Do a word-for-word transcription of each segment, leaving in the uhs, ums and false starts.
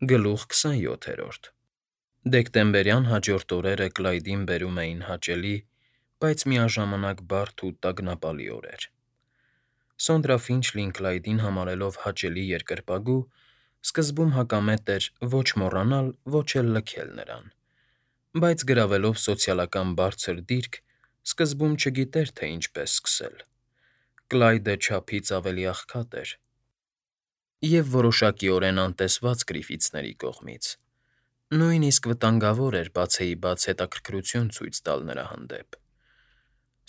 Գլուխ քսանյոթերորդ Դեկտեմբերյան հաջորդ օրերը Կլայդին բերում էին հաճելի, բայց միաժամանակ բարդ ու տագնապալի օրեր. Սոնդրա Ֆինչլին Կլայդին համարելով հաճելի երկրպագու, սկզբում հակամետ էր ոչ մոռանալ, ոչ էլ լքել նրան, բայց գրավելով սոցիալական բարձր դիրք, սկզբում չգիտեր, թե ինչպես սկսել. Կլայդը չափից ավելի աղքատ էր և որոշակիորեն անտեսված Գրիֆիթսների կողմից, նույնիսկ վտանգավոր էր բացեիբաց հետաքրքրություն ցույց տալ նրա հանդեպ.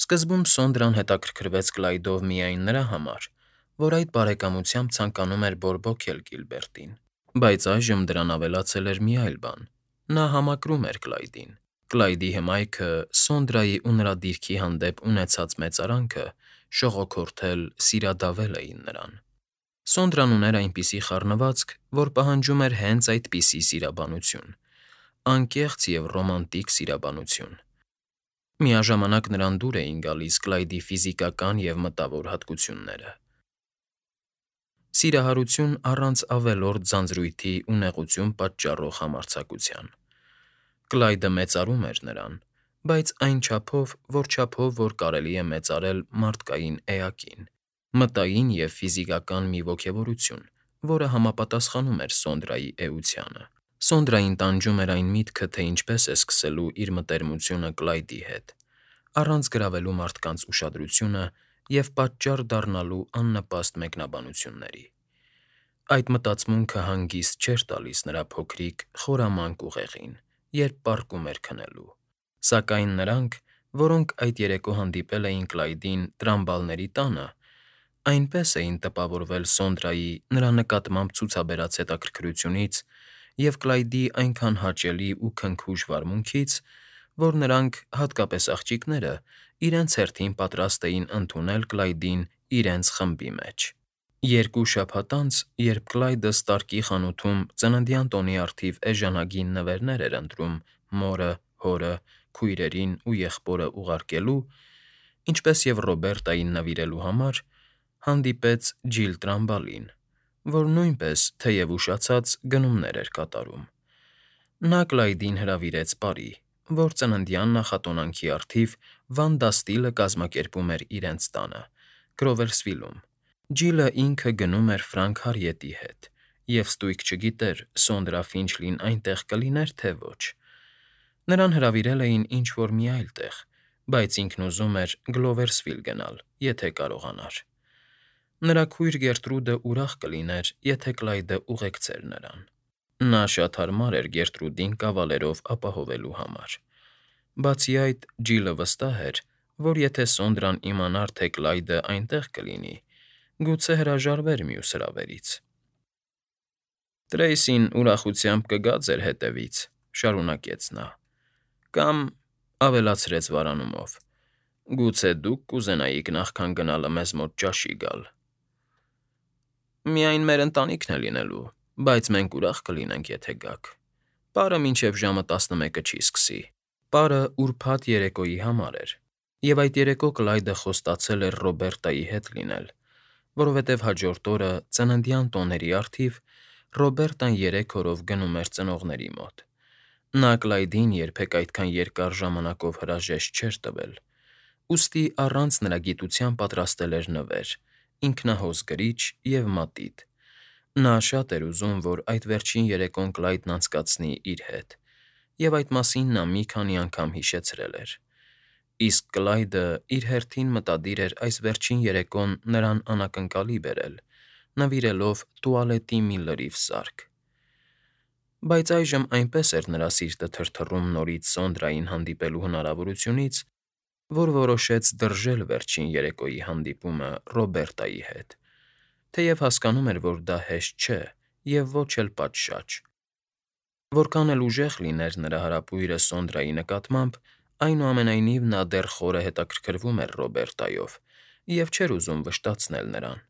Սկզբում Սոնդրան հետաքրքրվեց Կլայդով միայն նրա համար, որ այդ բարեկամությամբ ցանկանում էր բորբոքել Կիլբերտին, բայց այժմ դրան ավելացել էր մի այլ բան. նա համակրում էր Կլայդին. Կլայդի հմայքը, Սոնդրայի ու նրա դիրքի հանդեպ ունեցած մեծարանքը շողոքորթել, սիրադավել էին նրան։ Սոնդրան ուներ այնպիսի խառնվածք, որ պահանջում էր հենց այդպիսի սիրաբանություն, անկեղծ և ռոմանտիկ սիրաբանություն։ Միաժամանակ նրան դուր էին գալիս Կլայդի ֆիզիկական և մտավոր հատկությունները։ Սիրահարություն առանց ավելորդ ձանձրույթի ու նեղություն պատճառող համարձակության։ Կլայդը մեծարում էր նրան, բայց այն չափով, որ չափով, որ կարելի է մեծարել մարդկային էակին, մտային և ֆիզիկական մի ոգևորություն, որը համապատասխանում էր Սոնդրայի էությանը։ Սոնդրային տանջում էր այն միտքը, թե ինչպես է սկսելու իր մտերմությունը Կլայդի հետ, առանց գրավելու մարդկանց ուշադրությունը և պատճառ դառնալու աննպաստ մեկնաբանությունների։ Այդ մտածմունքը հանգիստ չէր տալիս նրա փոքրիկ, խորամանկ ուղեղին, երբ պառկում էր քնելու։ Սակայն նրանք, որոնք այդ երեկո հանդիպել էին Կլայդին Տրամբալների տանը, այնպես էին տպավորվել Սոնդրայի նրա նկատմամբ ցուցաբերած հետաքրքրությունից և Կլայդի այնքան հաճելի ու քնքուշ վարմունքից, որ նրանք, հատկապես աղջիկները, իրենց հերթին պատրաստ էին ընդունել Կլայդին իրենց խմբի մեջ։ Երկու շաբաթ անց, երբ Կլայդը Ստարկի խանութում ծննդյան տոնի առթիվ էժանագին նվերներ էր ընտրում մորը, հորը, քույրերին ու եղբորը ուղարկելու, ինչպես և Ռոբերտային նվիրելու համար, հանդիպեց Ջիլ Տրամբալին, որ նույնպես, թեև ուշացած, գնումներ էր կատարում։ Նա Կլայդին հրավիրեց պարի, որ ծննդյան նախատոնանքի առթիվ Վանդաստիլը կազմակերպում էր իրենց տանը՝ Գրովերսվիլում։ Ջիլը ինքը գնում էր Ֆրանք Հարիետի հետ, և ստույգ չգիտեր՝ Սոնդրա Ֆինչլին այնտեղ կլիներ, թե ոչ։ Նրան հրավիրել էին ինչ֊որ մի այլ տեղ, բայց ինքն ուզում էր Գլովերսվիլ գնալ, եթե կարողանար։ Նրա քույր Գերտրուդը ուրախ կլիներ, եթե Կլայդը ուղեկցեր նրան։ Նա շատ հարմար էր Գերտրուդին կավալերով ապահովելու համար։ Բացի այդ, Ջիլը վստահ էր, որ եթե Սոնդրան իմանար, թե Կլայդը այնտեղ կլինի, գուցե հրաժարվեր մյուս հրավերից։ «Տրեյսին ուրախությամբ կգա ձեր հետևից,֊ շարունակեց նա,֊ կամ,֊ ավելացրեց վարանումով,֊ գուցե դուք կուզենայիք նախքան գնալը մեզ մոտ ճաշի գալ։ Միայն մեր ընտանիքն է լինելու, բայց մենք ուրախ կլինենք, եթե գաք։ Պարը մինչև ժամը տասնմեկը չի սկսի»։ Պարը ուրբաթ երեկոյի համար էր, և այդ երեկո Կլայդը խոստացել էր Ռոբերտայի հետ լինել, որովհետև հաջորդ օրը, ծննդյան տոների առթիվ, Ռոբերտան երեք օրով գնում էր ծնողների մոտ։ Նա Կլայդին երբեք այդքան երկար ժամանակով հրաժեշտ չէր տվել, ուստի առանց նրա գիտության պատրաստել էր նվեր, ինքնահոս գրիչ և մատիտ։ Նա շատ էր ուզում, որ այդ վերջին երեկոն Կլայդն անցկացնի իր հետ, և այդ մասին նա մի քանի անգամ հիշեցրել էր։ Իսկ Կլայդը իր հերթին մտադիր էր այս վերջին երեկոն նրան անակնկալի բերել՝ նվիրելով տուալետի մի լրիվ սարք։ Բայց այժմ այնպես էր նրա սիրտը թրթռում նորից Սոնդրային հանդիպելու հնարավորությունից, որ որոշեց դրժել վերջին երեկոյի հանդիպումը Ռոբերտայի հետ, թեև հասկանում էր, որ դա հեշտ չէ և ոչ էլ պատշաճ։ Որքան էլ ուժեղ լիներ նրա հարապույրը Սոնդրայի նկատմամբ, այնուամենայնիվ նա դեռ խորը հետաքրքրվում էր Ռոբերտայով և չէր ուզում վշտացնել նրան։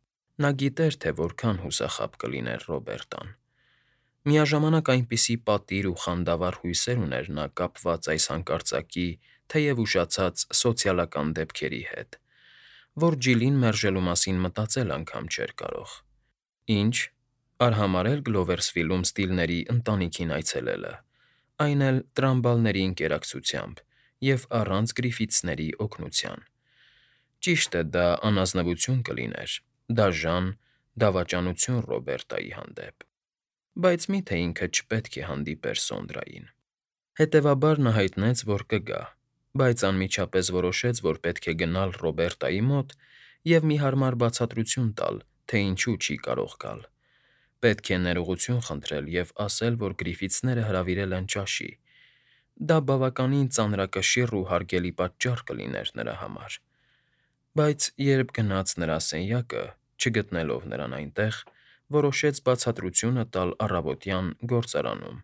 Նա գիտեր, թե որքան հուսախաբ կլիներ Ռոբերտան։ Միաժամանակ այնպիսի պատիր ու խանդավառ հույսեր ուներ նա կապված այս հանկարծակի, թեև ուշացած սոցիալական դեպքերի հետ, որ Ջիլին մերժելու մասին մտածել անգամ չէր կարող։ Ի՞նչ, Արհամարհել Գլովերսվիլում ստիլների ընտանիքին այցելելը, այն էլ տրամբալների ընկերակցությամբ և առանց Գրիֆիթսների օգնության։ Ճիշտ է, դա անազնվություն կլիներ, դաժան, դավաճանություն Ռոբերտայի հանդեպ, բայց մի՞թե ինքը չպետք է հանդիպեր Սոնդրային։ Հետևաբար նա հայտնեց, որ կգա, բայց անմիջապես որոշեց, որ պետք է գնալ Ռոբերտայի մոտ և մի հարմար բացատրություն տալ, թե ինչու չի կարող գալ։ Պետք է ներողություն խնդրել և ասել, որ Գրիֆիթսները հրավիրել են ճաշի։ Դա բավականին ծանրակշիռ ու հարգելի պատճառ կլիներ նրա համար։ Բայց երբ գնաց նրա սենյակը, չգտնելով նրան այնտեղ, որոշեց բացատրությունը տալ առավոտյան գործարանում,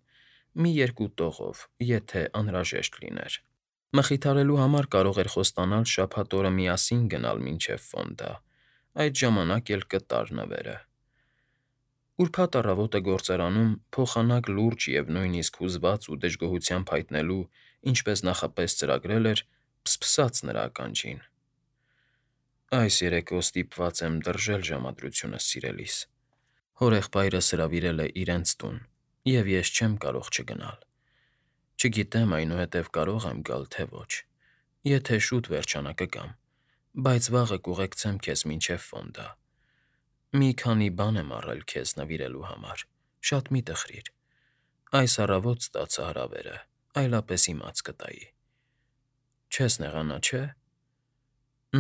մի երկու տողով, եթե անհրաժեշտ լիներ։ Մխիթարելու համար կարող էր խոստանալ շաբաթ օրը միասին գնալ մինչև Ֆոնդա, այդ ժամանակ էլ կտար նվերը։ Ուրբաթ առավոտը գործարանում, փոխանակ լուրջ և նույնիսկ հուզված ու դժգոհությամբ հայտնելու, ինչպես նախապես ծրագրել էր, փսփսաց նրա ականջին. «Այս երեկո ստիպված եմ լրժել ժամադրությունս, սիրելիս. հորեղբայրս հրավիրել է իրենց տուն, և ես չեմ կարող չգնալ։ Չգիտեմ այնուհետև կարո՞ղ եմ գալ, թե ոչ։ Եթե շուտ վերջանա կգամ, բայց վաղը կուղեկցեմ քեզ մինչև Ֆոնդա։ Մի քանի բան եմ առել քեզ նվիրելու համար, շատ մի տխրիր։ Այս առավոտ ստացա հրավերը, այլապես իմաց կտայի։ Չես նեղանա, չէ՞»։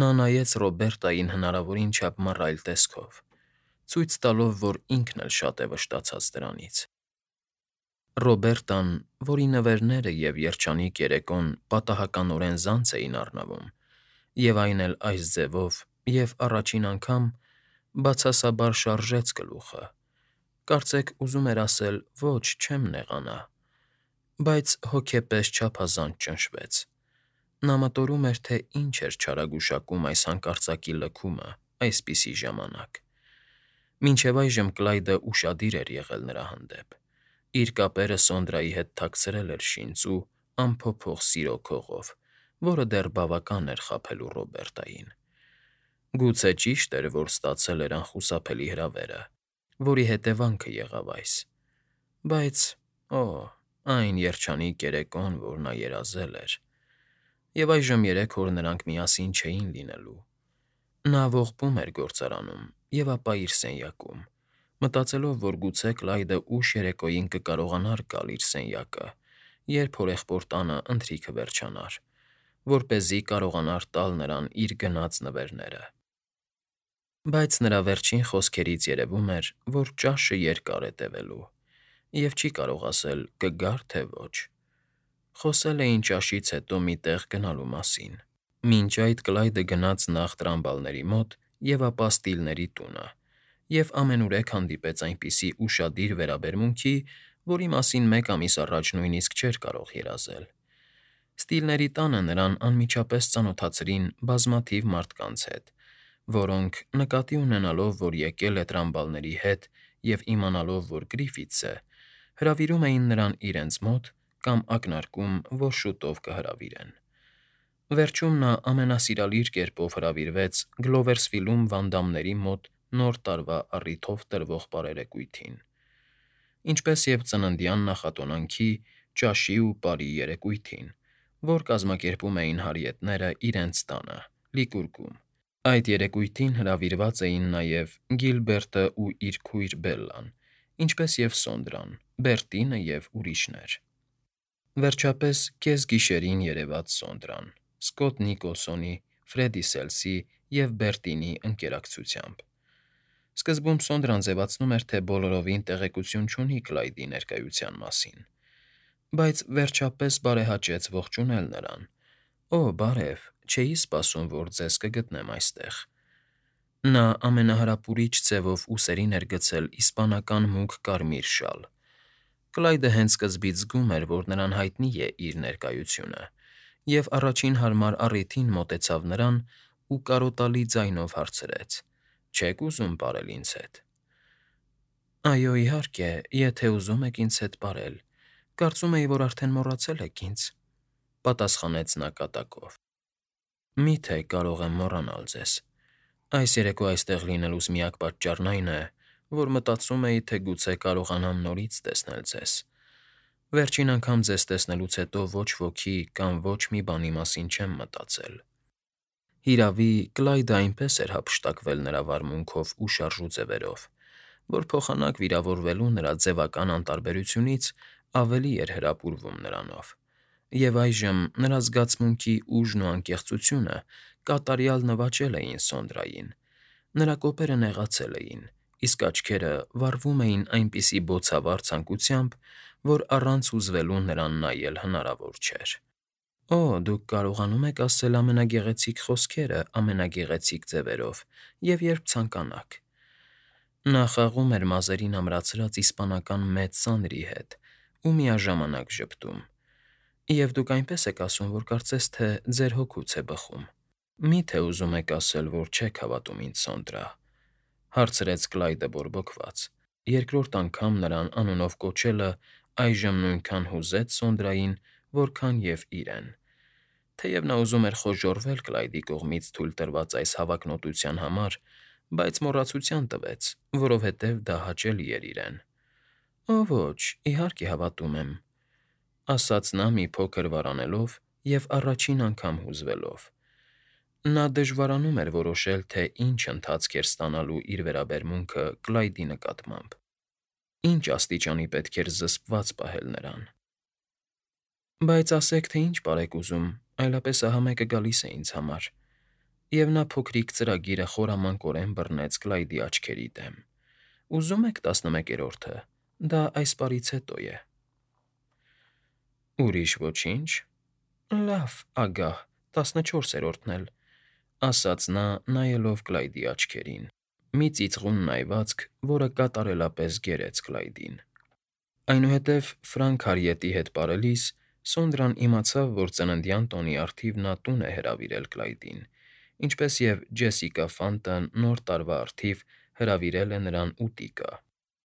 Նա նայեց Ռոբերտային հնարավորին չափ մռայլ տեսքով, ցույց տալով, որ ինքն էլ շատ է վշտացած դրանից։ Ռոբերտան, որի նվերները և երջանիկ երեկոն պատահականորեն զանց էին առնվում, և այն էլ այս ձևով, և առաջին անգամ, բացասաբար շարժեց գլուխը, կարծեք ուզում էր ասել «ոչ, չեմ նեղանա», բայց հոգեպես չափազանց ճնշվեց։ Նա մտորում էր, թե ինչ էր չարագուշակում այս հանկարծակի լքումը այսպիսի ժամանակ։ Մինչև այժմ Կլայդը ուշադիր էր եղել նրա հանդեպ, իր կապերը Սոնդրայի հետ թաքցրել էր շինծ ու անփոփոխ սիրո քողով, որը դեռ բավական էր խաբելու Ռոբերտային։ Գուցե ճիշտ էր, որ ստացել էր անխուսափելի հրավերը, որի հետևանքը եղավ այս։ Բայց, օ՜, այն երջանիկ երեկոն, որ նա երազել էր… Եվ այժմ երեք օր նրանք միասին չէին լինելու։ Նա ողբում էր գործարանում և ապա իր սենյակում, մտածելով, որ գուցե Կլայդը ուշ երեկոյին կկարողանար գալ իր սենյակը, երբ հորեղբոր տանը ընթրիքը վերջանար, որպեսզի կարողանար տալ նրան իր գնած նվերները։ Բայց նրա վերջին խոսքերից երևում էր, որ ճաշը երկար է տևելու, և չի կարող ասել կգա՞ր, թե ոչ։ Խոսել էին ճաշից հետո մի տեղ գնալու մասին։ Մինչ այդ Կլայդը գնաց նախ տրամբալների մոտ և ապա ստիլների տունը, և ամենուրեք հանդիպեց այնպիսի ուշադիր վերաբերմունքի, որի մասին մեկ ամիս առաջ նույնիսկ չէր կարող երազել։ Ստիլների տանը նրան անմիջապես ծանոթացրին բազմաթիվ մարդկանց հետ, որոնք, նկատի ունենալով, որ եկել է տրամբալների հետ և իմանալով, որ Գրիֆիթս է, հրավիրում էին նրան իրենց մոտ կամ ակնարկում, որ շուտով կհրավիրեն։ Վերջում նա ամենասիրալիր կերպով հրավիրվեց Գլովերսվիլում վանդամների մոտ Նոր տարվա առիթով տրվող բարերեկույթին, ինչպես և ծննդյան նախատոնանքի, ճաշի ու պարի երեկույթին, որ կազմակերպում էին հարիետները իրենց տանը՝ Լիկուրգում։ Այդ երեկույթին հրավիրված էին նաև Գիլբերտն ու իր քույր Բելլան, ինչպես և Սոնդրան, Բերտինը և ուրիշներ։ Վերջապես կեսգիշերին երևաց Սոնդրան՝ Սքոթ Նիկոլսոնի, Ֆրեդի Սելսի և Բերտինի ընկերակցությամբ։ Սկզբում Սոնդրան ձևացնում էր, թե բոլորովին տեղեկություն չունի Կլայդի ներկայության մասին, բայց վերջապես բարեհաճեց ողջունել նրան։ «Օ, բարև, չէի սպասում, որ ձեզ կգտնեմ այստեղ»։ Նա ամենահարապուրիչ ձևով ուսերին էր գցել իսպանական մուգ կարմիր շալ։ Կլայդը հենց սկզբից զգում էր, որ նրան հայտնի է իր ներկայությունը, և առաջին հարմար առիթին մոտեցավ նրան ու կարոտալի ձայնով հարցրեց. «Չե՞ք ուզում պարել ինձ հետ»։ «Այո, իհարկե, եթե ուզում եք ինձ հետ պարել, կարծում էի, որ արդեն մոռացել եք ինձ», ֊ պատասխանեց նա կատակով։ «Մի՞թե կարող եմ մոռանալ ձեզ։ Այս երեկո այստեղ լինելուս միակ պատճառն այն է, որ մտածում էի, թե գուցե կարողանամ նորից տեսնել ձեզ։ Վերջին անգամ ձեզ տեսնելուց հետո ոչ ոքի կամ ոչ մի բանի մասին չեմ մտածել»։ Հիրավի, Կլայդը այնպես էր հափշտակվել նրա վարմունքով ու շարժու ձևերով, որ փոխանակ վիրավորվելու նրա ձևական անտարբերությունից ավելի էր հրապուրվում նրանով, և այժմ նրա զգացմունքի ուժն ու անկեղծությունը կատարյալ նվաճել էին Սոնդրային, նրա կոպերը նեղացել էին, իսկ աչքերը վառվում էին այնպիսի բոցավառ ցանկությամբ, որ առանց հուզվելու նրան նայել հնարավոր չէր։ «Օ, դուք կարողանում եք ասել ամենագեղեցիկ խոսքերը ամենագեղեցիկ ձևերով և երբ ցանկանաք»։ Նա խաղում էր մազերին ամրացրած իսպանական մեծ սանրի հետ ու միաժամանակ ժպտում։ «Եվ դուք այնպես եք ասում, որ կարծես թե ձեր հոգուց է բխում։ Մի՞թե ուզում եք ասել, որ չեք հավատում ինձ, Սոնդրա», հարցրեց Կլայդը բորբոքված։ Երկրորդ անգամ նրան անունով կոչելը այժմ նույնքան հուզեց Սոնդրային, որքան և իրեն։ Թեև նա ուզում էր խոժոռվել Կլայդի կողմից թույլ տրված այս հավակնոտության համար, բայց մոռացության տվեց, որովհետև դա հաճելի էր իրեն։ «Օ ոչ, իհարկե հավատում եմ», ասաց նա մի փոքր վարանելով և առաջին անգամ հուզվելով։ Նա դժվարանում էր որոշել, թե ինչ ընթացք էր ստանալու իր վերաբերմունքը Կլայդի նկատմամբ, ինչ աստիճանի պետք էր զսպված պահել նրան։ «Բայց ասեք, թե ինչ պարեք ուզում, այլապես ահա մեկը գալիս է ինձ համար», և նա փոքրիկ ծրագիրը խորամանկորեն բռնեց Կլայդի աչքերի դեմ։ «Ուզո՞ւմ եք տասնմեկերորդը, դա այս պարից հետո է»։ «Ուրիշ ոչինչ։ Լավ, ագահ, տասնչորսերորդն էլ», ասաց նա, նայելով Կլայդի աչքերին, մի ծիծաղուն նայվածք, որը կատարելապես գերեց Կլայդին։ Այնուհետև Ֆրանք Հարիետի հետ պարելիս Սոնդրան իմացավ, որ ծննդյան տոնի առթիվ նա տուն է հրավիրել Կլայդին, ինչպես և Ջեսիկա Ֆանտը Նոր տարվա առթիվ հրավիրել է նրան ուտիկա։